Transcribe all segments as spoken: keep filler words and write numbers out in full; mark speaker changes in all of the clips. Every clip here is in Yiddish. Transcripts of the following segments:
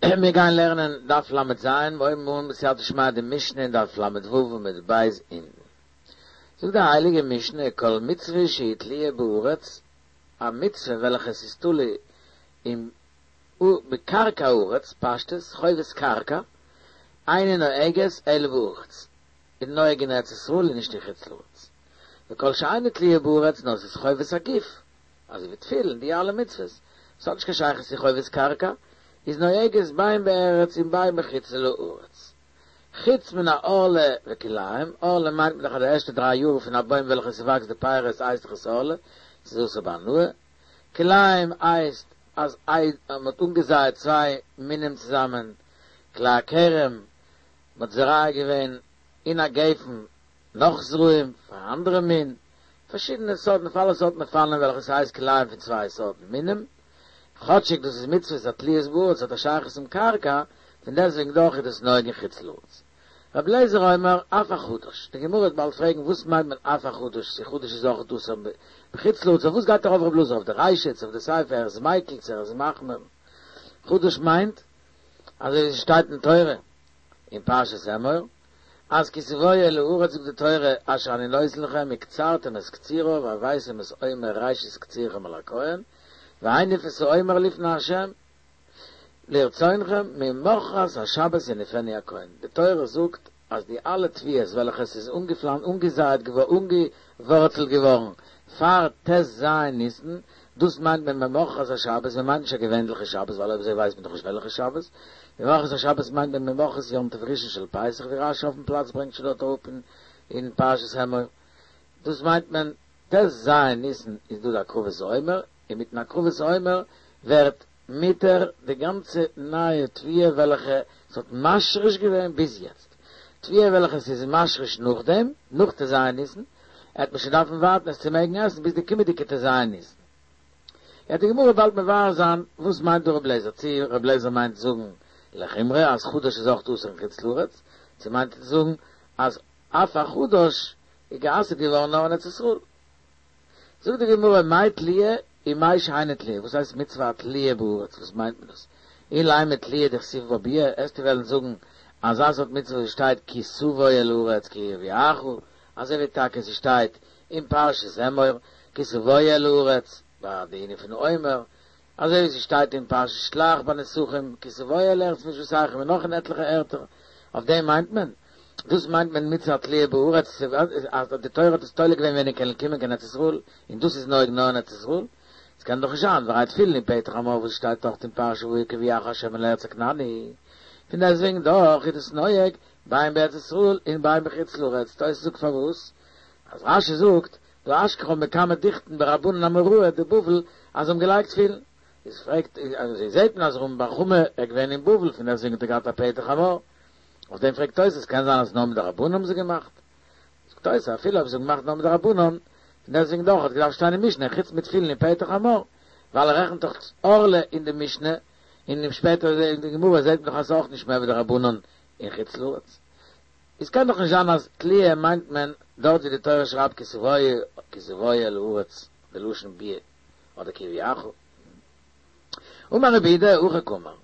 Speaker 1: מיר גייען לערנען דף ל"ז, מיר הויבן אן בסייעתא דשמיא די משנה אין דף ל"ו עמוד ב' אונטן. זאגט די הייליגע משנה, כל מצוה שהיא תלויה בארץ, א מצוה וועלכע עס איז תלוי אין בקרקע הארץ, פשטות, חובת קרקע, אינה נוהגת אלא בארץ, איז נוהג אין ארץ ישראל און נישט אין חוץ לארץ. וכל שאינה תלויה בארץ, נאר עס איז חובת הגוף, אזוי ווי תפילין, די אלע מצוות, עס האט נישט קיין שייכות צו חובת קרקע, איז נוהגת בין בארץ און בין בחוץ לארץ. חוץ מן הערלה וכלאים, ערלה מיינט מען דאך אז די ערשטע דריי יאר פון א בוים וועלכע ס'וואקסט די פירות הייסט דאך עס ערלה, ס'איז אסור בהנאה. כלאים הייסט אז מ'האט אנגעזייעט צוויי מינים צוזאמען, כלאי הכרם, מ'האט זורע געווען אין א גפן נאך זרעים פאר א אנדערע מין, פארשידענע סארטן אויף אלע סארטן אופנים וועלכע ס'הייסט כלאים פון צוויי סארטן מינים, כאטשיג דאס איז מצוות התלויות בארץ האט א שייכות צום קרקע, פון דעסטוועגן דאך איז דאס נוהג אין חוץ לארץ. רבי אליעזר אומר אף החדש, די גמרא וועט באלד פרעגן וואס מיינט מען אף החדש, צו חדש איז אויך אסור בחוץ לארץ, אויף וואס גייט ארויף רבי אלעזר אויף די רישא צו אויף די סיפא ער איז מיקל צו ער איז מחמיר, חדש מיינט אזוי ווי עס שטייט אין תורה אין פרשת אמור אז כי תבואו אל הארץ זאגט די תורה אשר אני נותן לכם וקצרתם את קצירה והבאתם את עומר ראשית קצירכם אל הכהן והניף את העומר לפני ה' לרצונכם ממחרת השבת יניפנו הכהן די תורה זאגט אז די אלע תבואות וועלכע עס איז אנגעזייעט געווארן אנגעווארצלט געווארן פאר ט"ז ניסן דאס מיינט מען ממחרת השבת מען מיינט נישט א געווענליכע שבת ווייל אויב אזוי ווייסט מען דאך נישט וועלכע שבת ממחרת השבת מיינט מען ממחרת יום טוב ראשון של פסח ווי רש"י אויפן פלאץ ברענגט שוין דארט אראפ אין פרשת אמור דאס מיינט מען ט"ז ניסן איז דא די הקרבת העומר און מיטן הקרבת העומר ווערט מותר די גאנצע נייע תבואה וועלכע ס'האט משריש געווען ביז יעצט, תבואה וועלכע ס'איז משריש נאכדעם, נאך ט"ז ניסן, עט מען שוין דארפן ווארטן עס צו מעגן עסן ביז די קומעדיגע ט"ז ניסן. וועט די גמרא באלד מבאר זיין וואס מיינט דא ר' לעזער, צי ר' לעזער מיינט זאגן לחומרא אז חדש איז אויך אסור אין חוץ לארץ, צו מיינט ער צו זאגן אז אף החדש איז גע'אסר'ט געווארן נאר אין ארץ ישראל. זאגט די גמרא מאי תלויה ומאי שאינה תלויה, וואס הייסט מצוה התלויה בארץ, וואס מיינט מען דאס? אילימא תלויה דכתיב בה ביאה, עסטו וועלן זאגן אזא סארט מצוה וואס שטייט כי תבוא אל הארץ כי יביאך, אזוי ווי טאקע ס'שטייט אין פרשת אמור כי תבוא אל הארץ ביי די ענין פון עומר, אזוי ווי ס'שטייט אין פרשת שלח ביי נסכים כי תבואו אל ארץ מושבותיכם און נאך אין עטליכע ערטער, אויף דעם מיינט מען? דאס מיינט מען מצוה התלויה בארץ אז די תורה האט עס תולה געווען ווען איר קענט קומען קיין ארץ ישראל, און דאס איז נוהג נאר אין ארץ ישראל? עס קען דאך נישט זיין, והרי תפילין און פטר חמור וואס שטייט דארט אין פרשה והיה כי יביאך ה' אל ארץ הכנעני, פון דעסטוועגן דאך איז דאס נוהג בין בארץ ישראל און בין בחוץ לארץ, תוס' זאגט פארוואס? אז רש"י זאגט דהא אשכחן בקמי דוכתין ברבנן אמוראי דבבל אז זיי האבן געלייגט תפילין, איז פרעגט אזוי זעהט מען אז רמי בר חמא איז געווען אין בבל פון דעסטוועגן האט ער געהאט א פטר חמור, אויף דעם פרעגט תוס' קען זיין אז נאר מדרבנן האבן זיי געמאכט? זאגט תוס' אפילו אויב זיי האבן געמאכט נאר מדרבנן, פון דעסטוועגן דאך האט געדארפט שטיין אין משנה חוץ מתפילין און פטר חמור, ווייל ער רעכנט דאך ערלה אין די משנה, און שפעטער אין די גמרא זעהט מען דאך אז ס'איז אויך נישט מער ווי דרבנן אין חוץ לארץ. איז קען דאך נישט זיין אז תלויה מיינט מען דארט ווי די תורה שרייבט כי תבואו כי תבואו אל הארץ די לשון ביאה אדער כי יביאך. אמר רב יהודה הכי קאמר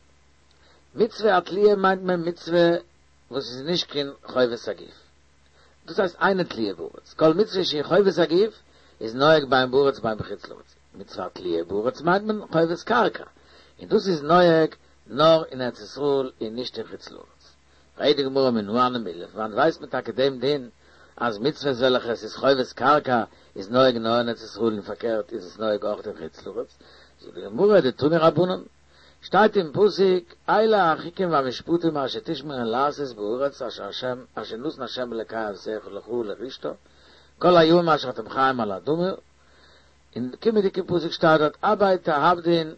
Speaker 1: מצוה התלויה מיינט מען מצוה וואס איז נישט קיין חובת הגוף דאס הייסט אינה תלויה בארץ כל מצוה שהיא חובת הגוף איז נוהג בין בארץ בין בחוץ לארץ מצוה התלויה בארץ מיינט מען חובת קרקע און דאס איז נוהג נאר אין ארץ ישראל און נישט אין חוץ לארץ. פרעגט די גמרא מנא הני מילי, פון וואנעט ווייסט מען טאקע דעם דין אז מצוות וועלכע עס איז חובת קרקע איז נוהג נאר אין ארץ ישראל און פארקערט איז עס נוהג אויך אין חוץ לארץ? זאגט די גמרא דתנו רבנן, שטייט אין פסוק אלה החוקים והמשפטים אשר תשמרון לעשות בארץ אשר אשר נתן ה' אלקי אבותיך לך לרשתה כל הימים אשר אתם חיים על האדמה, אין קומענדיגע פסוק שטייט דארט הבן תאבדון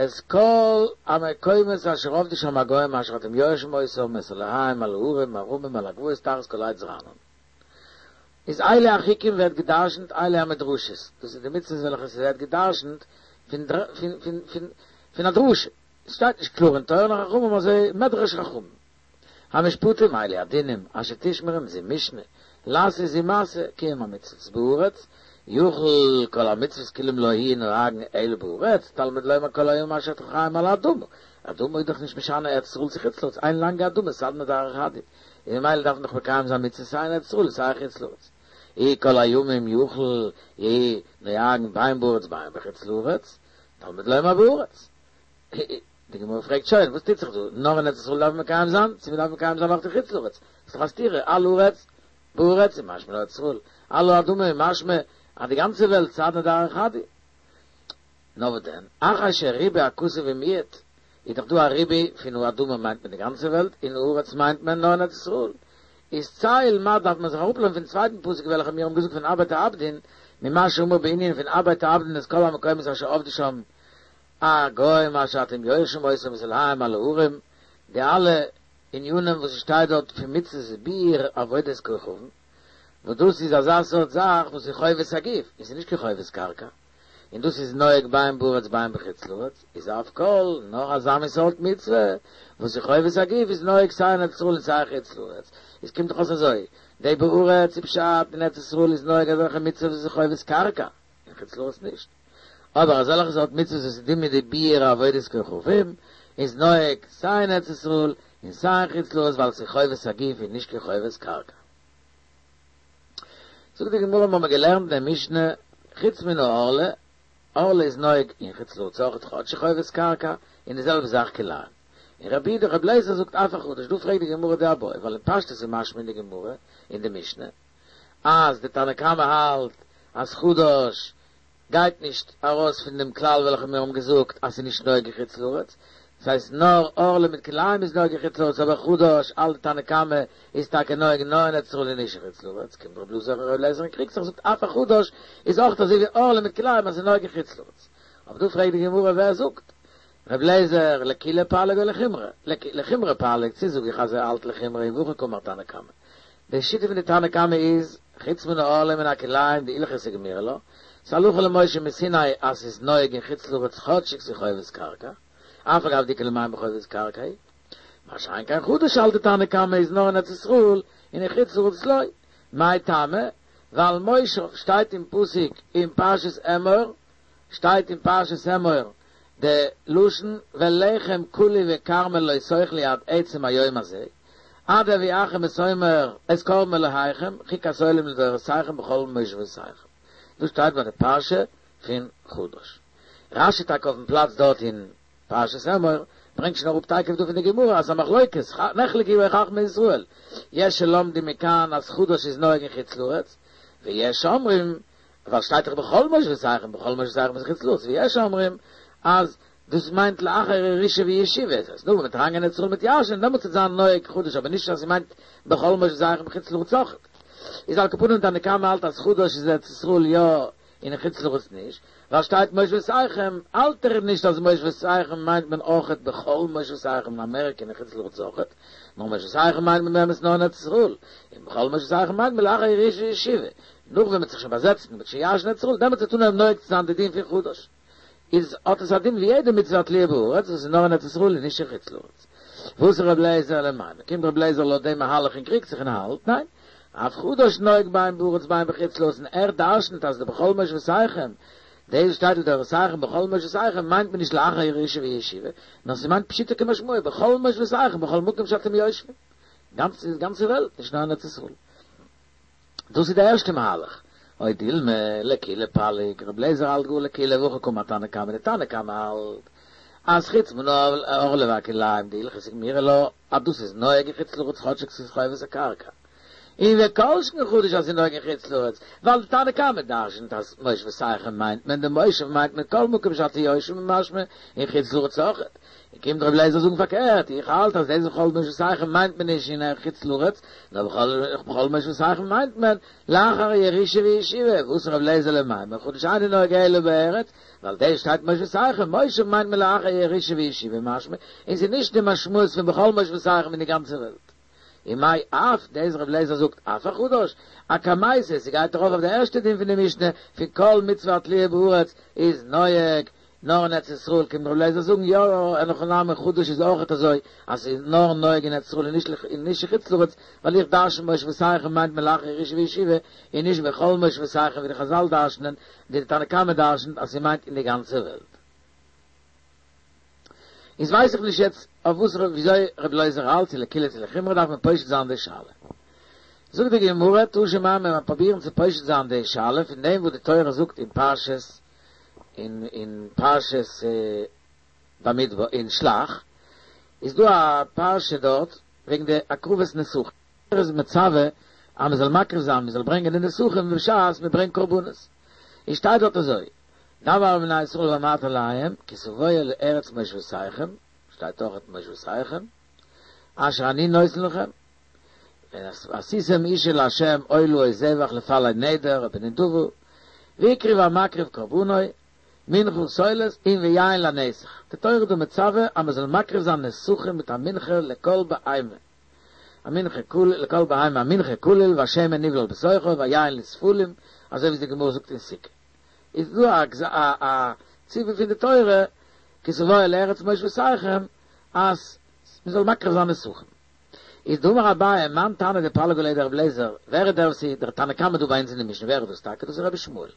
Speaker 1: את כל המקומות אשר אבדו שם הגוים אשר אתם יורשים אותם את אלהיהם על ההרים הרמים על הגבעות תחת כל עץ רענן. איז אלה החוקים ווערט געדרשנט אלה המדרשות, דאס איז די מצוות וועלכע ס'ווערט געדרשנט פון פון פון פון א דרשה, עס שטייט נישט קלאר אין תורה נאר חכמים אזוי מדרש חכמים. המשפטים אלו הדינים אשר תשמרון זו משנה, לעשות זו מעשה, קיום המצוות בארץ, יוכל כל המצוות כולם לא יהיו נוהגין אלא בארץ, תלמוד לומר כל הימים אשר אתם חיים על האדמה. אדמה איז דאך נישט משנה ארץ ישראל צו חוץ לארץ, איין לאנגע אדמה, סדנא דארעא חד הוא. און ממילא דארף מען דאך מקיים זיין מצוות סיי אין ארץ ישראל סיי אין חוץ לארץ. אי כל הימים יוכל יהיו נוהגין בין בארץ בין בחוץ לארץ, תלמוד לומר בארץ. די גמרא פרעגט שוין, וואס טוט זיך דא? נאר אין ארץ ישראל דארף מען מקיים זיין? צו מען דארף מקיים זיין אויך אין חוץ לארץ? ס'איז דאך א סתירה, על הארץ, בארץ איז משמע נאר ארץ ישראל, על האדמה איז משמע אז די גאנצע וועלט סדנא דארעא חד הוא. נאר וואס דען, אחר שריבה הכתוב ומיעט, איז דאך דא א ריבוי פון האדמה מיינט מען די גאנצע וועלט, און הארץ מיינט מען נאר אין ארץ ישראל. איז צא ולמד דארף מען זיך אראפלערנען פון צווייטן פסוק וועלכע מיר האבן געזאגט פון הבא תעבדון, ממה שאמור בענין פון הבא תעבדון את כל המקומות אשר עבדו שם הגוים אשר אתם יורשים אותם ואת אלהיהם על ההרים, די אלע ענינים וואס עס שטייט דארט פון מצות ביעור עבודת כוכבים, וואס דאס איז אזא סארט זאך וואס איז חובת הגוף, און ס'איז נישט קיין חובת קרקע, און דאס איז נוהג בין בארץ בין בחוץ לארץ, איז אף כל, נאר אזא מין סארט מצוה, וואס איז חובת הגוף איז נוהג סיי אין ארץ ישראל און סיי אין חוץ לארץ. עס קומט דאך אויס אזוי, די בארץ איז פשט אין ארץ ישראל איז נוהג אזעלכע מצוות וואס איז חובת קרקע, אין חוץ לארץ נישט. אבער אזעלכע סארט מצוות וואס איז דומיא די ביעור עבודת כוכבים, איז נוהג סיי אין ארץ ישראל און סיי אין חוץ לארץ ווייל ס'איז חובת הגוף און נישט קיין חובת קרקע. זאגט די גמרא מ'האמיר געלערנט אין די משנה חוץ מן הערלה, ערלה איז נוהג אין חוץ לארץ אויכעט כאטש חובת קרקע, און די זעלבע זאך כלאים. און רבי יהודה רבי אליעזר זאגט אף החדש, דא פרעגט די גמרא די איבעיא, ווייל אין פשטות איז משמע אין די גמרא, אין די משנה, אז די תנא קמא האלט אז חדש גייט נישט ארויס פון דעם כלל וועלכע מיר האבן געזאגט אז ס'איז נישט נוהג אין חוץ לארץ, דאס הייסט נאר ערלה מיט כלאים איז נוהג אין חוץ לארץ אבער חדש האלט די תנא קמא איז טאקע נוהג נאר אין ארץ ישראל און נישט אין חוץ לארץ, קומט רבי אלעזר רבי אליעזר און קריגט זיך זאגט אף החדש איז אויך אזוי ווי ערלה מיט כלאים אז ס'איז נוהג אין חוץ לארץ. אבער דא פרעגט די גמרא ווער זאגט רבי אליעזר לקולא פליג או לחומרא, לחומרא פליג, צו זאג איך אז ער האלט לחומרא און והכי קאמר תנא קמא. די שיטה פון די תנא קמא איז, חוץ מן הערלה ומן הכלאים דהלכתא גמירי לה, ס'איז הלכה למשה מסיני אז ס'איז נוהג אין חוץ לארץ כאטשיג ס'איז חובת קרקע, אף על גב דאיכא למימר חובת קרקע היא. מה שאין כן חדש האלט די תנא קמא איז נאר אין ארץ ישראל און אין חוץ לארץ לא. מאי טעמא? ווייל מושב שטייט אין פסוק אין פרשת אמור, שטייט אין פרשת אמור די לשון ולחם קלי וכרמל לא תאכלו עד עצם היום הזה, עד הביאכם את עומר את קרבן אלהיכם חוקת עולם לדורותיכם בכל מושבותיכם. דאס שטייט ביי די פרשה פון חדש. רשי טאקע אויפן פלאץ דארט אין פרשת אמור ברענגט שוין אראפ תיכף דא פון די גמרא אז א מחלוקת נחלקו חכמי ישראל יש שלומדים מכאן אז חדש איז נוהג אין חוץ לארץ ויש אומרים ווייל שטייט דאך בכל מושבותיכם, בכל מושבותיכם איז חוץ לארץ, ויש אומרים אז דאס מיינט לאחר ירושה וישיבה, אז נאר ווען מ'וועט אריינגיין ארץ ישראל מ'וועט ירש'ענען דעמאלטס וועט זיין נוהג חדש, אבער נישט אז ס'מיינט בכל מושבותיכם חוץ לארץ אויכעט. איז על כל פנים תנא קמא האלט אז חדש איז ארץ ישראל יא און אין חוץ לארץ נישט, ווייל שטייט מושבותיכם האלט ער נישט אז מושבותיכם מיינט מען אויכעט בכל מושבותיכם אין אמעריקע און אין חוץ לארץ אויכעט, נאר מושבותיכם מיינט מען באמת נאר אין ארץ ישראל, און בכל מושבותיכם מיינט מען לאחר ירושה וישיבה. נאך ווען מ'וועט זיך שוין באזעצן און מ'וועט שוין ירש'ן ארץ ישראל, דעמאלטס וועט אנהויבן נוהג צו זיין די דין פון חדש. איז האט עס א דין ווי יעדע מצוה התלויה בארץ וואס איז נאר אין ארץ ישראל און נישט אין חוץ לארץ. ואתא ר' אליעזר למימר, קומט ר' אליעזר לויט דעם מהלך און קריגט זיך און האלט, ניין, אף חדש נוהג בין בארץ בין בחוץ לארץ און ער דרשנ'ט אז די בכל מושבותיכם, דאס וואס שטייט לדורותיכם בכל מושבותיכם מיינט מען נישט לאחר ירושה וישיבה, נאר ס'מיינט פשוטו כמשמעו בכל מושבותיכם בכל מקום שאתם יושבים, גאנץ די גאנצע וועלט נישט נאר אין ארץ ישראל. דאס איז די ערשטע מהלך. או דילמא, לקולא פליג, רבי אליעזר האלט גאר לקולא והכי קאמר תנא קמא, די תנא קמא האלט אז חוץ מן הערלה והכלאים דהלכתא גמירי לה אז דאס איז נוהג אין חוץ לארץ כאטשיג ס'איז חובת הקרקע. און וכל שכן חדש אז ס'איז נוהג אין חוץ לארץ, ווייל די תנא קמא דרשנ'ט אז מושבותיכם מיינט מען די מושב מיינט מען כל מקום שאתם יושבים משמע אין חוץ לארץ אויכעט. און קומט רבי אליעזר זאגן פארקערט, איך האלט אז דאס בכל מושבותיכם מיינט מען נישט אין חוץ לארץ, נאר בכל מושבותיכם מיינט מען לאחר ירושה וישיבה, ואתא רבי אליעזר למימר, חדש אינו נוהג אלא בארץ, ווייל דאס שטייט מושבותיכם, מושב מיינט מען לאחר ירושה וישיבה משמע, און ס'איז נישט די משמעות פון בכל מושבותיכם אין די גאנצע וועלט. ומאי אף, דאס רבי אליעזר זאגט אף החדש, אקמייתא, ס'גייט ארויף אויף די ערשטע דין פון די משנה, פון כל מצוה התלויה בארץ איז נוהג נאר אין ארץ ישראל, קומט רבי אליעזר זאגן, יא, אין הכי נמי חדש איז אויכעט אזוי, אז ס'איז נאר נוהג אין ארץ ישראל און נישט און נישט אין חוץ לארץ, ווייל איך דרשן מושבותיכם מיינט מען לאחר ירושה וישיבה, און נישט בכל מושבותיכם ווי די חזל דרשנ'ען, די תנא קמא דרשנ'ט אז ס'מיינט אין די גאנצע וועלט. איז ווייס איך נישט יעצט אויף וואס וויאזוי רבי אליעזר האלט, צו לקולא צו לחומרא דארף מען פושט זיין די שאלה. זאגט די גמרא, תא שמע מען וועט פרובירן צו פושט זיין די שאלה פון דעם וואס די תורה זאגט אין פרשת אין אין פרשת במדבר אין שלח איז דא א פרשה דארט וועגן די הקרבת נסכים, תורה איז מצווה אז מען זאל מקריב זיין מען זאל ברענגען די נסכים בשעת מען ברענגט קרבנות, און שטייט דארט אזוי, דבר אל בני ישראל ואמרת אליהם כי תבואו אל ארץ מושבותיכם, שטייט אויכעט מושבותיכם, אשר אני נותן לכם, ועשיתם אשה לה' עולה או זבח לפלג נדר או בנדבה, והקריב המקריב קרבנו, מנחה סולת און ויין לנסך, די תורה איז דא מצווה אז מען זאל מקריב זיין נסכים מיט א מנחה לכל בהמה, א מנחה כליל, לכל בהמה א מנחה כליל והשמן נבלל בתוכה והיין לספלים, אזוי ווי די גמרא זאגט אין סוכה. איז דא א א ציווי פון די תורה כי תבואו אל ארץ מושבותיכם אז מען זאל מקריב זיין נסכים. איז דאמר אביי מאן תנא דפליג עליה דרבי אליעזר, ווער איז דער וואס איז דער תנא קמא דא ביי אונז אין די משנה, ווער איז דאס טאקע? דאס איז רבי ישמעאל.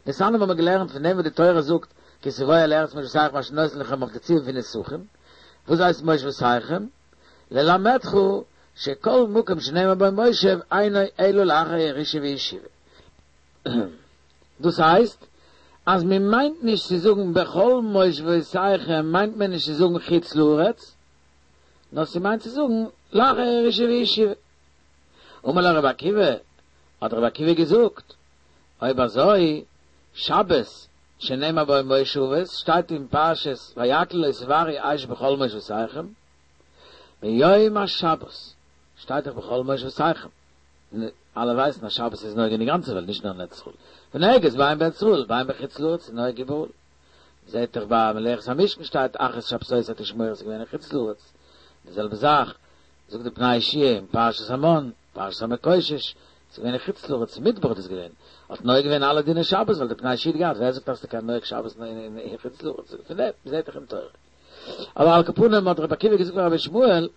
Speaker 1: דתניא האבן מיר געלערנט פון דעם וואס די תורה זאגט כי תבואו אל ארץ מושבותיכם אשר אני נותן לכם אויף די ציווי פון נסכים, וואס הייסט מושבותיכם? ללמדך שכל מקום שנאמר בו מושב אינו אלא לאחר ירושה וישיבה. דאס הייסט אז מען מיינט נישט צו זאגן בכל מושבותיכם מיינט מען נישט צו זאגן חוץ לארץ, נאר ס'מיינט צו זאגן לאחר ירושה וישיבה. אמר לו רבי עקיבא, האט רבי עקיבא געזאגט, אויב אזוי, שבת שנאמר בו מושבות, שטייט אין פרשת ויקהל לא תבערו אש בכל מושבותיכם, ביום השבת שטייט דאך בכל מושבותיכם, אלע ווייסן אז שבת איז נוהג אין די גאנצע וועלט נישט נאר אין ארץ ישראל, ונוהגת בין בארץ ישראל בין בחוץ לארץ איז נוהג איבעראל, מ'זעט דאך ביי מלאכת המשכן שטייט אך את שבתותי תשמורו ס'איז געווען אין חוץ לארץ, די זעלבע זאך זאגט די פני יהושע אין פרשת המן, פרשת המקושש, ס'איז געווען אין חוץ לארץ, אין מדבר איז דאס געווען, האט נוהג געווען אלע דיני שבת ווייל די פני יהושע האט געהאט, ווער זאגט אז ס'קען נוהג שבת אין חוץ לארץ, פון דעם מ'זעט דאך אין תורה. אבער על כל פנים האט רבי עקיבא געזאגט פאר רבי ישמעאל,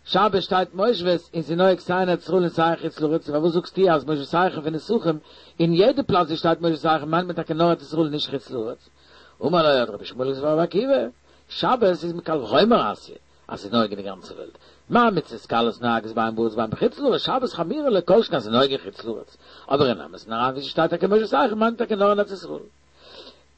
Speaker 1: שבת שטייט מושבות און ס'איז נוהג סיי אין ארץ ישראל און סיי אין חוץ לארץ, פארוואס זאגסטו אז מושבותיכם פון נסכים אין יעדע פלאץ ווי שטייט מושבותיכם מיינט מען טאקע נאר ארץ ישראל און נישט חוץ לארץ? אמר לו האט רבי ישמעאל געזאגט פאר רבי עקיבא, שבת איז מקל וחומר אתיא אז ס'איז נוהג אין די גאנצע וועלט, מה מצוות קלות נוהגות בין בארץ בין בחוץ לארץ, שבת חמירא ליה כל שכן אז ס'איז נוהג אין חוץ לארץ, אבער אין אמת'ן אריין ווי ס'שטייט טאקע מושבותיכם מיינט מען טאקע נאר אין ארץ ישראל.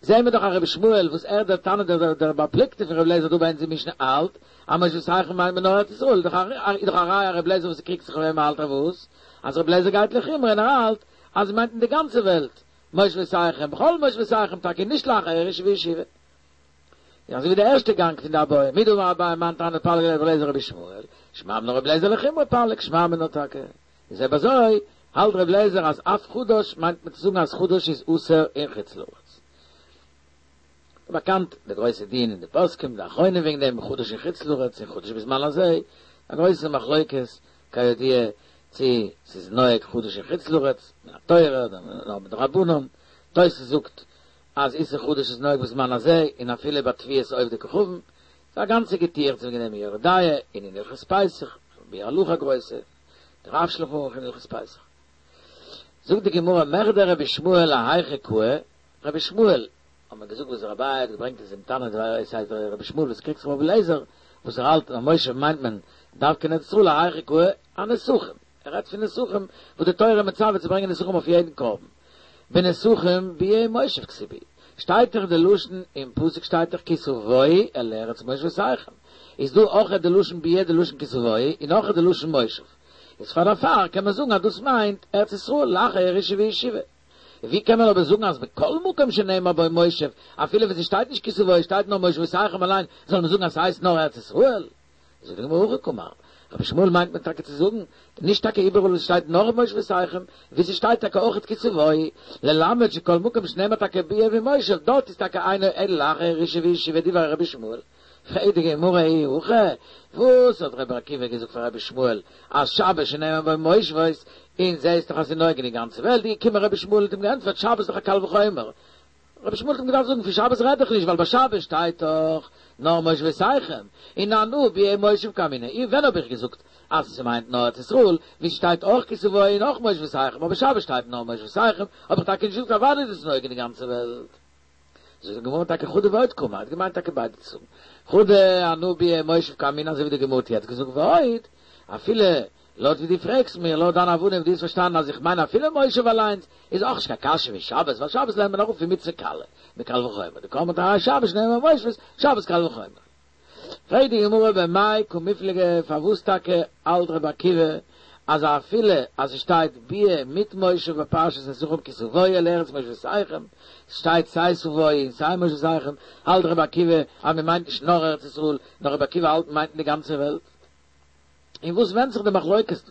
Speaker 1: זעהן מיר דאך אז רבי ישמעאל וואס ער דער תנא דער דער בעל פלוגתא פון רבי אליעזר דא ביי אונז אין משנה האלט אז מושבותיכם מיינט מען נאר ארץ ישראל איז דאך איז דאך א ראיה אז רבי אליעזר וואס קריגט זיך אויף אים האלט אז וואס אז רבי אליעזר גייט לחומרא און ער האלט אז מיינט אין די גאנצע וועלט מושבותיכם בכל מושבותיכם טאקע נישט לאחר ירושה וישיבה און אזוי ווי די ערשטע גאנג פון די איבעיא מדאמר אביי מאן תנא דפליג עליה דרבי אליעזר רבי ישמעאל שמע מינה רבי אליעזר לחומרא פליג שמע מינה טאקע איז אויב אזוי האלט ר' אליעזר אז אף חדש מיינט מען צו זאגן אז חדש איז אסור אין חוץ לארץ. באקאנט די גרויסע דיון אין די פוסקים די אחרונים וועגן דעם חדש אין חוץ לארץ און חדש בזמן הזה, א גרויסע מחלוקת כידוע צו ס'איז נוהג חדש אין חוץ לארץ מן התורה אדער נאר מדרבנן, תוס' זאגט אז איסור חדש איז נוהג בזמן הזה און אפילו ביי תבואת עובדי כוכבים, ס'איז א גאנצע געטועכץ וועגן דעם אין יורה דעה און אין הלכות פסח, ביאור הלכה גרויסע. דער רב שלחן ערוך אין הלכות פסח. זאגט די גמרא מכדי רבי ישמעאל להיכא קאי, רבי ישמעאל, האט מען געזאגט וואס אביי האט געברענגט איז דעם תנא ס'הייסט רבי ישמעאל וואס קריגט זיך אויף רבי אליעזר, וואס ער האלט אז מושב מיינט מען דווקא אין ארץ ישראל להיכא קאי אנסכים, ער רעדט פון נסכים וואס די תורה מצווה צו ברענגען נסכים אויף יעדן קרבן, בנסכים ביאה ומושב כתיב בהו, שטייט דאך די לשון אין פסוק שטייט דאך כי תבואו אל ארץ מושבותיכם, איז דא אויכעט די לשון ביאה די לשון כי תבואו און אויכעט די לשון מושב, איז פאר דערפאר קען מען זאגן אז דאס מיינט ארץ ישראל לאחר ירושה וישיבה. ווי קען מען אבער זאגן אז בכל מקום שנאמר בו מושב, אפילו ווען ס'שטייט נישט כי תבואו שטייט נאר מושבותיכם אליין, זאל מען זאגן אז ס'הייסט נאר ארץ ישראל? זאגט די גמרא הכי קאמר, רבי ישמעאל מיינט מען טאקע צו זאגן, נישט טאקע איבעראל וואו ס'שטייט נאר מושבותיכם, וואו ס'שטייט טאקע אויכעט כי תבואו, ללמד שכל מקום שנאמר טאקע ביאה ומושב, דארט איז טאקע אינו אלא לאחר ירושה וישיבה דברי רבי ישמעאל. פרעגט די גמרא אי הכי, וואס האט רבי עקיבא געזאגט פאר רבי ישמעאל אז שבת שנאמר בו מושבות, און זעהסט דאך אז ס'איז נוהג אין די גאנצע וועלט, איז געקומען רבי ישמעאל האט אים געענטפערט שבת איז דאך א קל וחומר, רבי ישמעאל האט אים געדארפט זאגן פון שבת רעד איך נישט ווייל ביי שבת שטייט דאך נאר מושבותיכם און אנא ביאה ומושב קאמינא אי ווען האב איך געזאגט אז ס'מיינט נאר ארץ ישראל ווי ס'שטייט אויך כי תבואו און אויך מושבותיכם אבער שבת שטייט נאר מושבותיכם האב איך טאקע נישט געזאגט אוודאי איז עס נוהג אין די גאנצע וועלט. זאגט די גמרא טאקע חדא ועוד קאמר האט געמיינט טאקע ביידע צו זאגן חדא אנא ביאה ומושב קאמינא אזוי ווי די גמרא האט יעצט געזאגט ועוד אפילו לויט ווי דו פרעגסט מיר, לויט דיין הבנה ווי דו האסט פארשטאנען אז איך מיין אפילו מושב אליינס, איז אויך נישט קיין קשיא ווי שבת, ווייל שבת לערנט מען אראפ פון מצוה קלה, מקל וחומר, דקאמרת האי שבת שנאמר מושבות, שבת קל וחומר. פרעגט די גמרא במאי קמיפלגי פארוואס טאקע האלט רבי עקיבא אז אפילו אז ס'שטייט ביאה מיט מושב בפרשת נסכים כי תבואו אל ארץ מושבותיכם, ס'שטייט סיי תבואו און סיי מושבותיכם, האלט רבי עקיבא אז מ'מיינט נישט נאר ארץ ישראל, נאר רבי עקיבא האלט מ'מיינט אין די גאנצע וועלט. אין וואס ווענדט זיך די מחלוקת דא?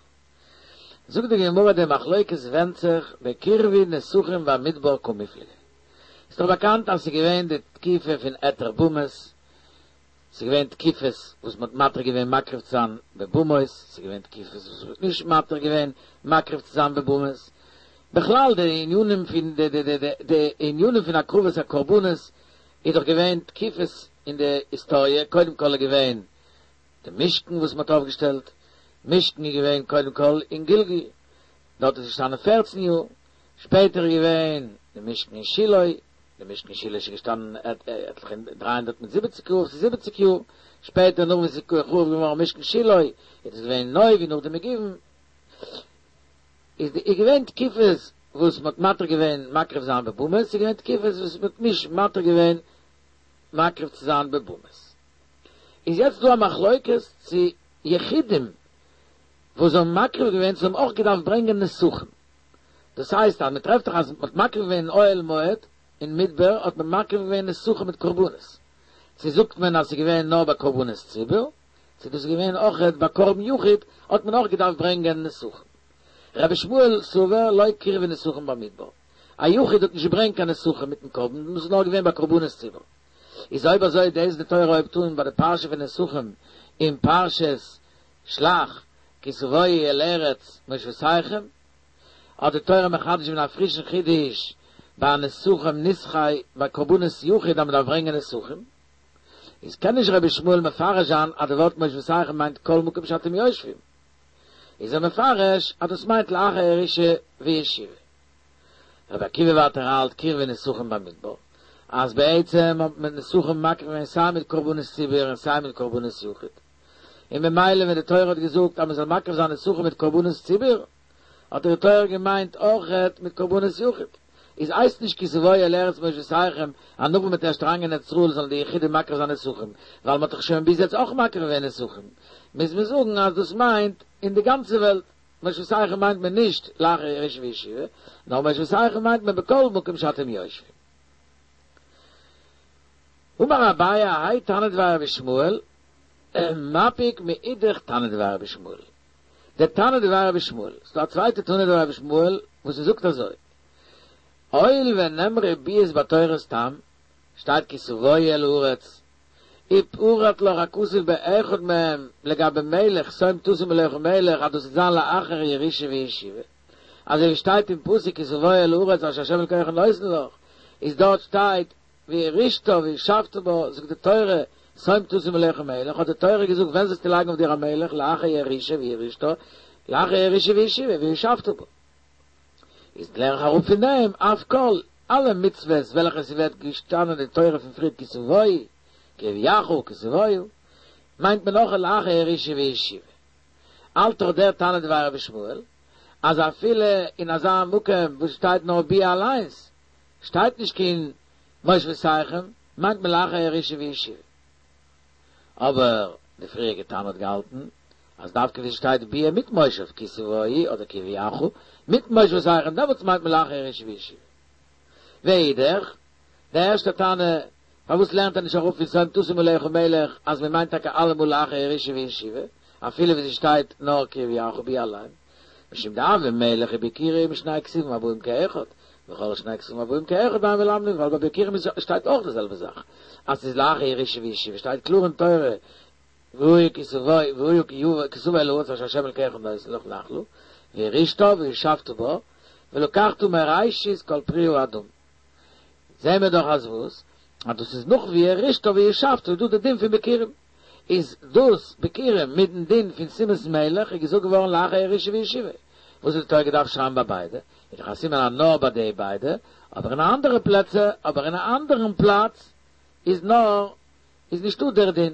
Speaker 1: זאגט די גמרא די מחלוקת ווענדט זיך בקירבו נסכים במדבר קמיפלגי. ס'איז דאך באקאנט אז ס'איז געווען די תקופה פון היתר במות, ס'איז געווען תקופות וואס מ'האט מתיר געווען מקריב צו זיין בבמות, ס'איז געווען תקופות וואס מ'האט נישט מתיר געווען מקריב צו זיין בבמות. בכלל די ענינים פון די די די די ענינים פון הקרבת הקרבנות איז דאך געווען תקופות אין די היסטאריע, קודם כל איז געווען די משכן וואס מען האט אויפגעשטעלט, משכן איז געווען קודם כל אין גלגל, דארט איז געשטאנען פֿערצן יאר, שפעטער איז געווען די משכן אין שילה, די משכן אין שילה איז געשטאנען עטליכע דרײַ הונדערט מיט זיבעציק יאר, ס'איז זיבעציק יאר, שפעטער נאך וואס איז חרוב געווארן משכן שילה, איז עס געווען נוב און נאכדעם אין גבעון, איז די איז געווען תקופות וואס מען האט מתיר געווען מקריב זיין בבמות, ס'איז געווען תקופות וואס מען האט נישט מתיר געווען מקריב צו זיין בבמות. איז יעצט דא א מחלוקת צו יחידים וואס האבן מקריב געווען צו האבן אויך געדארפט ברענגען נסכים. דאס הייסט אז מען טרעפט דאך אז מען האט מקריב געווען אין אוהל מועד אין מדבר האט מען מקריב געווען נסכים מיט קרבנות. צו זאגט מען אז ס'איז געווען נאר ביי קרבנות ציבור, צו דאס איז געווען אויכעט ביי קרבן יחיד האט מען אויך געדארפט ברענגען נסכים. רבי ישמעאל סבר לא קרבו נסכים במדבר. א יחיד האט נישט געברענגט קיין נסכים מיטן קרבן, דאס איז נאר געווען ביי קרבנות ציבור. איז אויב אזוי דאס די תורה הויבט אן ביי די פרשה פון נסכים אין פרשת שלח כי תבואו אל ארץ מושבותיכם, האט די תורה מחדש געווען א פרישן חידוש ביי נסכים נסכי ביי קרבנות יחיד אז מען דארף ברענגען נסכים, איז קען נישט רבי ישמעאל מפרש זיין אז די ווארט מושבותיכם מיינט כל מקום שאתם יושבים, איז ער מפרש אז דאס מיינט לאחר ירושה וישיבה. רבי עקיבא ווייטער האלט קרבו נסכים במדבר, אז בעצם האט מען נסכים מקריב געווען סיי מיט קרבנות ציבור און סיי מיט קרבנות יחיד, און ממילא ווען די תורה האט געזאגט אז מען זאל מקריב זיין נסכים מיט קרבנות ציבור, האט די תורה געמיינט אויכעט מיט קרבנות יחיד. איז הייסט נישט כי תבואו אל ארץ מושבותיכם אז נאך ווען מ'וועט ערשט אריינגיין אין ארץ ישראל זאלן די יחידים מקריב זיין נסכים, ווייל מ'האט דאך שוין ביז יעצט אויך מקריב געווען נסכים, מוז מען זאגן אז דאס מיינט אין די גאנצע וועלט. מושבותיכם מיינט מען נישט לאחר ירושה וישיבה, נאר מושבותיכם מיינט מען בכל מקום שאתם יושבים. אמר אביי האי תנא דבי רבי ישמעאל, מפיק מאידך תנא דבי רבי ישמעאל. דער תנא דבי רבי ישמעאל, ס'דא א צווייטע תנא דבי רבי ישמעאל וואס ער זאגט אזוי, הואיל ונאמרו ביאות בתורה סתם, שטייט כי תבואו אל הארץ, ופרט לך הכתוב באחד מהם לגבי מלך שום תשים עליך מלך אז דאס וועט זיין לאחר ירושה וישיבה, אזוי ווי שטייט אין פסוק כי תבוא אל הארץ אשר ה' אלקיך נותן לך, איז דארט שטייט וירשתה וישבת בה, זאגט די תורה שום תשים עליך מלך, האט די תורה געזאגט ווען זאלסטו לייגן אויף דיר א מלך לאחר ירושה וירשתה, לאחר ירושה וישיבה וישבת בה. איז לערן איך אראפ פון דעם אף כל אלע מצוות וועלכע ס'ווערט געשטאנען אין תורה פון פריער כי תבואו, כי יביאך, כי תבואו, מיינט מען אויך לאחר ירושה וישיבה. האלט דאך דער תנא דבי רבי ישמעאל אז אפילו אין אזא מקום וואס שטייט נאר ביאה אליינס, שטייט נישט קיין מושבותיכם, מיינט מען לאחר ירושה וישיבה. אבער די פריעריגע תנא האט געהאלטן אז דווקא ווי ס'שטייט ביאה מיט מושב כי תבואו אדער כי יביאך מיט מושבותיכם דעמאלטס מיינט מען לאחר ירושה וישיבה. ואידך, די ערשטע תנא, פארוואס לערנט ער נישט אראפ פון שום תשים עליך מלך אז מען מיינט טאקע אלעמאל לאחר ירושה וישיבה, אפילו ווי ס'שטייט נאר כי יביאך ביאה אליין? משום דהוי מלך וביכורים שני כתובים הבאים כאחד, וכל שני כתובים הבאים כאחד אין מלמדים, ווייל ביי ביכורים שטייט אויך די זעלבע זאך, אז ס'איז לאחר ירושה וישיבה, שטייט קלאר אין תורה, והיה כי תבוא והיה כי תבוא אל הארץ אשר ה' אלקיך נותן לך נחלה, וירשתה וישבת בה, ולקחת מראשית כל פרי האדמה. זעהן מיר דאך אז וואס? אז דאס איז נאך ווי ירשתה וישבת איז דא די דין פון ביכורים. איז דאס ביכורים מיטן דין פון שימת מלך איז געזאגט געווארן לאחר ירושה וישיבה. וואס האט די תורה געדארפט שרייבן ביי ביידע? איז דאך א סימן אז נאר ביי די ביידע, אבער אין אנדערע פלעצער, אבער אין א אנדערן פלאץ איז נאר איז נישטא דער דין.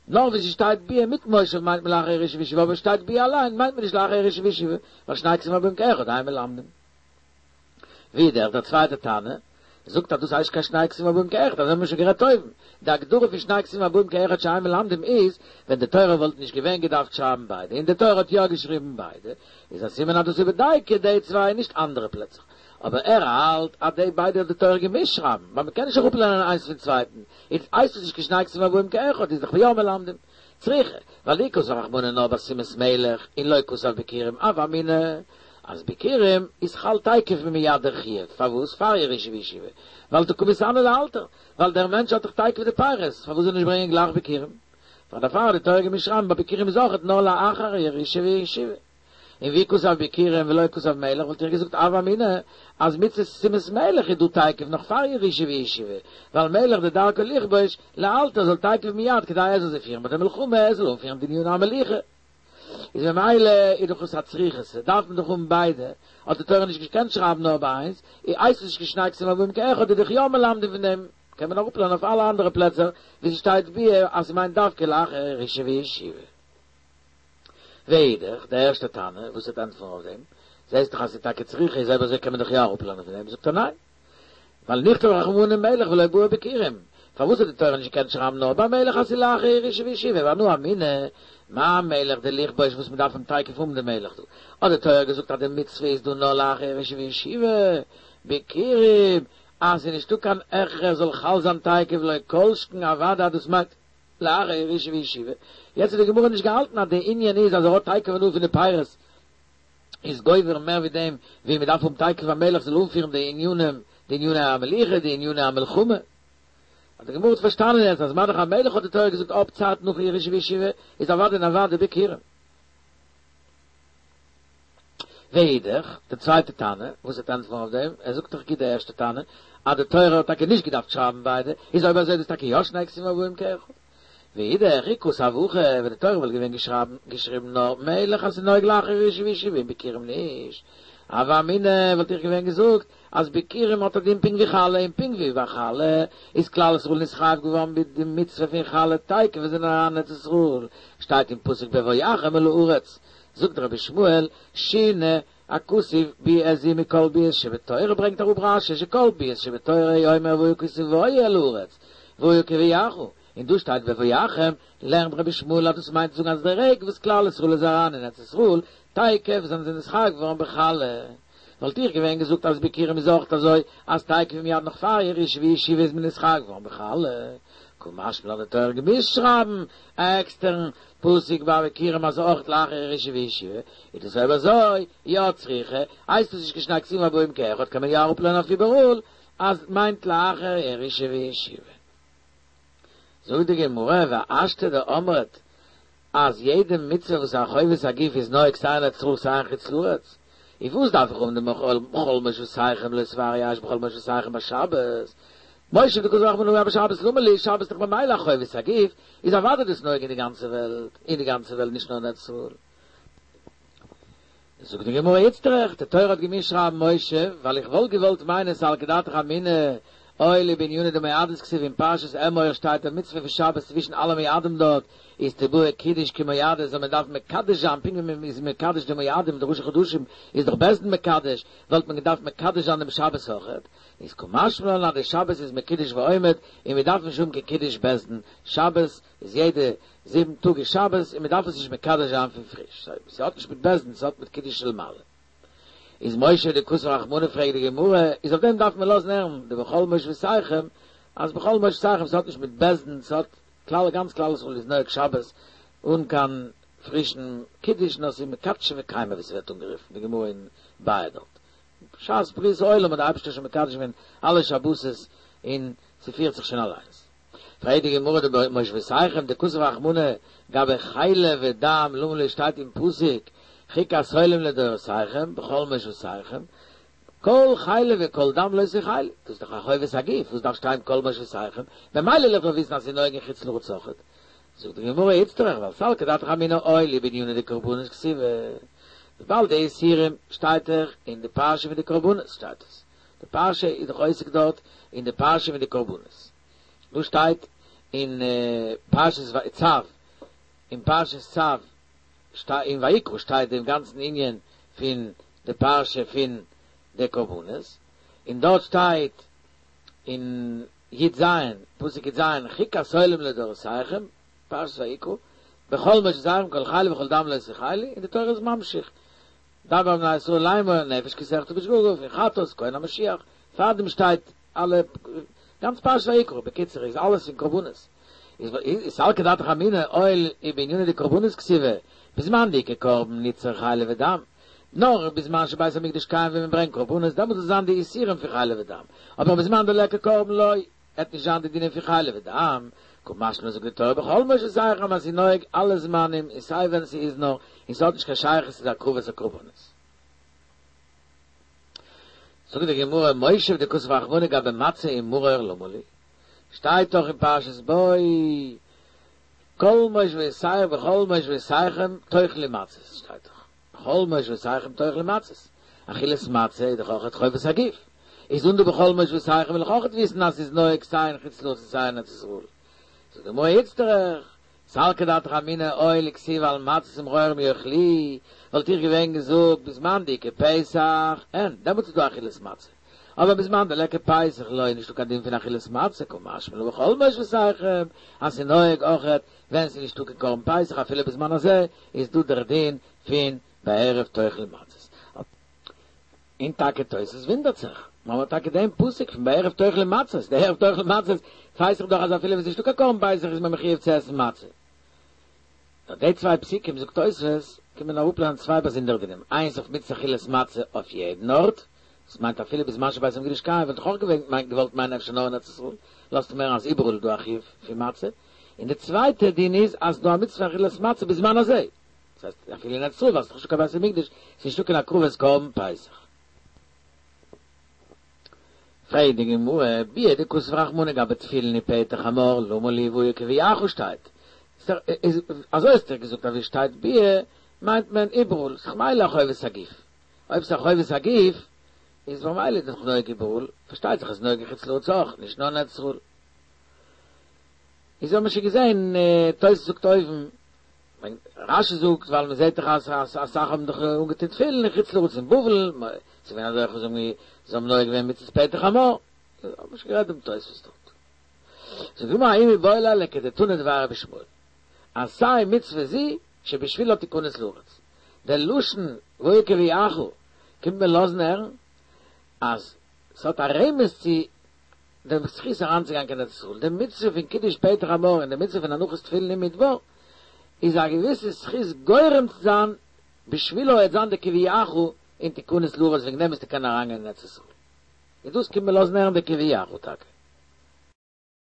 Speaker 1: נאר ווי ס'שטייט ביאה מיט מושב מיינט מען לאחר ירושה וישיבה, אבער שטייט ביאה אליין מיינט מען נישט לאחר ירושה וישיבה, ווייל שני כתובים הבאים כאחד אין מלמדים. ווידער דער צווייטער תנא זאגט אז דאס הייסט קיין שני כתובים הבאים כאחד, אזוי האבן מיר שוין גערעדט אויבן. די הגדרה פון שני כתובים הבאים כאחד שאין מלמדים איז, ווען די תורה וואלט נישט געווען געדארפט שרייבן ביידע, און די תורה האט יא געשריבן ביידע, איז א סימן אז דאס איז בדייקא די צוויי נישט אנדערע פלעצער. אבער ער האלט אז די ביידע האט די תורה געמוזט שרייבן, ווייל מ'קען נישט אראפלערנען איינס פון צווייטן, איז הייסט עס נישט קיין שני כתובים הבאים כאחד, איז דאך יא מלמדים. צריכא, ווייל אי כתב רחמנא נאר בשימת מלך, און לא כתב ביכורים, הוה אמינא, אז ביכורים איז חל תיכף ומיד דער חיוב, פארוואס פאר ירושה וישיבה? ווייל דקא מתעני לאלתר, ווייל דער מענטש האט דאך תיכף די פירות, פארוואס זאל ער נישט ברענגען גלייך ביכורים? פאר דערפאר האט די תורה געמוזט שרייבן ביי ביכורים איז אויכעט נאר לאחר ירושה וישיבה. און ואי כתב ביכורים ולא כתב מלך וואלט איך געזאגט הוה אמינא אז מצות שימת מלך איז דא תיכף נאך פאר ירושה וישיבה, ווייל מלך דדרכו לכבוש לאלתר זאל תיכף מיד כדי ער זאל זיי פירן ביי די מלחמה ער זאל אנפירן די עניני המלוכה. איז ממילא איז דאך עס א צריכותא, דארף מען דאך האבן ביידע, האט די תורה נישט געקענט שרייבן נאר ביי איינס, איז הייסט עס נישט קיין שני כתובים הבאים כאחד איז דאך יא מלמדים פון דעם, קען מען אראפלערנען אויף אלע אנדערע פלעצער ווי ס'שטייט ביאה אז ס'מיינט דווקא לאחר ירושה וישיבה. ואידך, די ערשטע תנא, וואס וועט ענטפערן אויף דעם, זעסט דאך אז ס'איז טאקע צריכא, איז אויב אזוי קען מען דאך יא אראפלערנען פון דעם, זאגט ער ניין, ווייל נכתוב רחמנא מלך ולא בעי ביכורים, פארוואס האט די תורה נישט געקענט שרייבן נאר ביי מלך אז ס'איז לאחר ירושה וישיבה, ואנא אמינא, מה מלך דלכבוש וואס מ'דארף אים תיכף האבן די מלך דא, האט די תורה געזאגט אז די מצוה איז דא נאר לאחר ירושה וישיבה, ביכורים, אז ס'איז נישטא קיין הכרח זאל חל זיין תיכף לא כל שכן אוודאי אז דאס מיינט לאחר ירושה וישיבה, יעצט האט די גמרא נישט געהאלטן אז די ענין איז אז ער האט תיכף הנאה פון די פירות איז גובר מער ווי דעם ווי מען דארף האבן תיכף א מלך זאל אנפירן די ענינים, די עניני המלוכה, די עניני המלחמה. האט די גמרא האט פארשטאנען יעצט אז מה דאך א מלך האט די תורה געזאגט אפ צייט נאכן ירושה וישיבה איז אוודאי און אוודאי ביכורים. ואידך, די צווייטע תנא, וואס וועט ענטפערן אויף דעם, ער זאגט דאך גוט די ערשטע תנא, אז די תורה האט טאקע נישט געדארפט שרייבן ביידע, איז אויב אזוי איז דאס טאקע יא שני כתובים הבאים כאחד. ואידך, אי כתב הכא, ווען די תורה וואלט געווען געשרייבן געשריבן נאר מלך אז ס'איז נוהג לאחר ירושה וישיבה און ביכורים נישט, הוה אמינא וואלט איך געווען געזאגט אז ביכורים האט א דין פונקט ווי חלה און פונקט ווי ביי חלה איז כלל ישראל נתחייב געווארן מיט די מצוה פון חלה תיכף ווען זיי זענען אריין אין ארץ ישראל שטייט אין פסוק בבואכם אל הארץ זאגט רבי ישמעאל שינה הכתוב ביאה זו מכל ביאות שבתורה ברענגט אראפ רשי שכל ביאות שבתורה אומר והיה כי תבואו אל הארץ והיה כי יביאך און דא שטייט בבואכם, לערנט רבי ישמעאל אז דאס מיינט צו זאגן אז די רגע וואס כלל ישראל איז אריין אין ארץ ישראל, תיכף זענען זיי נתחייב געווארן בחלה. וואלט איך געווען געזאגט אז ביכורים איז אויך אזוי, אז תיכף ומיד נאך פאר ירושה וישיבה איז מען נתחייב געווארן בחלה. קא משמע לן האט די תורה געמוזט שרייבן א עקסטערן פסוק ביי ביכורים אז אויך לאחר ירושה וישיבה, איז דאס אויב אזוי יא צריכא, הייסט עס נישט קיין שני כתובים הבאים כאחד קען מען יא אראפלערנען אויף איבעראל אז מיינט לאחר ירושה וישיבה. זאגט די גמרא, והשתא דאמרת אז יעדע מצוה וואס איז א חובת הגוף איז נוהג סיי אין ארץ ישראל סיי אין חוץ לארץ, איז וואס דארף איך האבן די בכל מושבותיכם לא תבערו אש בכל מושבותיכם ביי שבת? מושב דכתב רחמנא גבי שבת למה לי, שבת איז דאך ממילא א חובת הגוף, איז אוודאי דאס נוהג אין די גאנצע וועלט, אין די גאנצע וועלט נישט נאר אין ארץ ישראל. זאגט די גמרא איצטריך, די תורה האט געמוזט שרייבן מושב, ווייל איך וואלט געוואלט מיינען סלקא דעתך אמינא, אוי לי בענינא דמועדות כתיב אין פרשת אמור שטייט די מצוה פון שבת צווישן אלע מועדים דארט איז תיבעי קידוש כמועדות זאל מען דארפן מקדש זיין פונקט ווי מען איז מקדש די מועדים די ראשי חדשים איז דאך בית דין מקדש וואלט מען געדארפט מקדש זיין דעם שבת אויכעט איז קא משמע לן אז די שבת איז מקודש ועומד און מען דארף נישט האבן קיין קידוש בית דין שבת איז יעדע זיבן טאג איז שבת און מען דארף עס נישט מקדש זיין פון פריש, סאו ס'האט נישט מיט בית דין, ס'האט מיט קידוש של מעלה. איז מושב דכתב רחמנא פרעגט די גמרא, איז אויף דעם דארף מען לאזן הערן די בכל מושבותיכם, אז בכל מושבותיכם ס'האט נישט מיט בית דין, ס'האט כלל גאנץ כלל ישראל איז נוהג שבת אן קיין פרישן קידוש נאר ס'איז מקדשא וקיימא ווי ס'ווערט אנגערופן די גמרא אין ביעא דארט. בשעת בריאת העולם האט די אייבערשטער שוין מקדש געווען אלע שבתות און ס'פירט זיך שוין אליינס. פרעגט די גמרא דבמושבותיכם דכתב רחמנא גבי חלב ודם למה לי שטייט אין פסוק חוקת עולם לדורותיכם בכל מושבותיכם כל חלב וכל דם לא תאכלו, דאס איז דאך א חובת הגוף, וואס דארף שטיין כל מושבותיכם, במילא וועל איך דאך וויסן אז ס'איז נוהג אין חוץ לארץ אויכעט. זאגט די גמרא איצטריך ווייל סלקא דעתך אמינא אוהל היא בענינא דקרבנות כתיבא, וויבאלד די איסורים שטייט דאך אין די פרשה פון די קרבנות שטייט עס, די פרשה איז דאך עוסק דארט אין די פרשה פון די קרבנות, דא שטייט אין פרשת צו, אין פרשת צו אין ויקרא שטייט דעם גאנצן ענין פון די פרשה פון די קרבנות, און דארט שטייט אין י ז, פסוק י ז, חוקת עולם לדורותיכם, פרשת ויקרא, בכל מושבותיכם כל חלב וכל דם לא תאכלו, און די תורה איז ממשיך, דבר אל בני ישראל לאמור נפש כי תחטא בשגגה, פון חטאת, כהן המשיח, פארדעם שטייט אלע, גאנץ פרשת ויקרא, בקיצור איז אלעס אין קרבנות. איז איז סלקא דעתך אמינא אוהל היא בענינא דקרבנות כתיבא, בזמן דאיכא קרבן נצרך חלב ודם, נאר בזמן שבית המקדש קיים ווען מען ברענגט קרבנות דעמאלט זאל זיין די איסורים פון חלב ודם, אבער בזמן דליכא קרבן לא, עט נישט זיין די דינים פון חלב ודם, קא משמע לן זאגט די תורה בכל מושבותיכם אז ס'איז נוהג אלע זמנים און סיי ווען ס'איז נאר, און ס'האט נישט קיין שייכות צו די הקרבת הקרבנות. זאגט די גמרא מושב דכתב רחמנא גבי מצה ומרור למה לי, שטייט דאך אין פרשת בא כל מושבותיכם בכל מושבותיכם תאכלו מצות שטייט דאך בכל מושבותיכם תאכלו מצות, אכילת מצה איז דאך אויכעט חובת הגוף, איז און דא בכל מושבותיכם וויל איך אויכעט וויסן אז ס'איז נוהג סיי אין חוץ לארץ און סיי אין ארץ ישראל, זאגט די גמרא איצטריך, סלקא דעתך אמינא אוהל כתיב על מצות ומרורים יאכלוהו, וואלט איך געווען געזאגט בזמן דאיכא פסח, אין, דעמאלטס איז דא אכילת מצה, אבער בזמן דליכא פסח לא איז נישטא קיין דין פון אכילת מצה, קא משמע לן בכל מושבותיכם, אז ס'איז נוהג אויכעט ווען ס'איז נישטא קיין קרבן פסח אפילו בזמן הזה איז דא דער דין פון בערב תאכלו מצות. און טאקע תוס' וואונדערט זיך, מ'האט טאקע דעם פסוק פון בערב תאכלו מצות, די ערב תאכלו מצות ווייס איך דאך אז אפילו ווען ס'נישטא קיין קרבן פסח איז מען מחויב צו עסן מצה. נאר די צוויי פסוקים זאגט תוס' קען מען אראפלערנען צוויי באזונדערע דינים, איינס אויף מצות אכילת מצה אויף יעדן ארט, דאס מיינט אפילו בזמן שבית המקדש קיים וואלט איך אויך געווען געוואלט מיינען אפשר נאר אין ארץ ישראל, לאזט מען הערן אז איבעראל איז דא א חיוב פון מצה, און די צווייטע דין איז אז ס'דא א מצוה אכילת מצה בזמן הזה. דאס הייסט אפילו אין ארץ ישראל ווייל ס'איז נישטא קיין בית המקדש, ס'איז נישטא קיין הקרבת קרבן פסח. פרעגט די גמרא, ביאה דכתב רחמנא גבי תפילין ופטר חמור, למה לי והיה כי יביאך שטייט? אזוי האסטו געזאגט אז ווי שטייט ביאה מיינט מען איבעראל, ס'איז ממילא א חובת הגוף. אויב ס'איז א חובת הגוף איז ממילא איז דאך נוהג איבעראל, פארשטייט זיך אז נוהג אין חוץ לארץ אויך, נישט נאר אין ארץ ישראל. איז האבן מיר שוין געזען, תוס' זאגט אויבן, רשי זאגט ווייל מען זעט דאך אז אסאך האבן דאך אנגעטון תפילין אין חוץ לארץ אין בבל, ס'איז געווען אזעלכע וואס האבן זיי האבן נוהג געווען מצות פטר חמור, האב איך שוין גערעדט דעם תוספות דארט. זאגט די גמרא ההוא מיבעי ליה לכדתנא דבי רבי ישמעאל, עשה מצוה זו שבשבילה תכנס לארץ, דער לשון והיה כי יביאך קומט מיר לאזן הערן אז ס'האט א רמז צו דעם זכות אריינצוגיין קיין ארץ ישראל, די מצוה פון קידוש פטר חמור און די מצוה פון הנחת תפילין אין מדבר, איז א געוויסע זכות גורם צו זיין בשבילו עט זיין די כי יביאך און תכנס לארץ וועגן דעם וועסטו קענען אריינגיין אין ארץ ישראל. און דאס קומט מיר לאזן הערן די כי יביאך טאקע.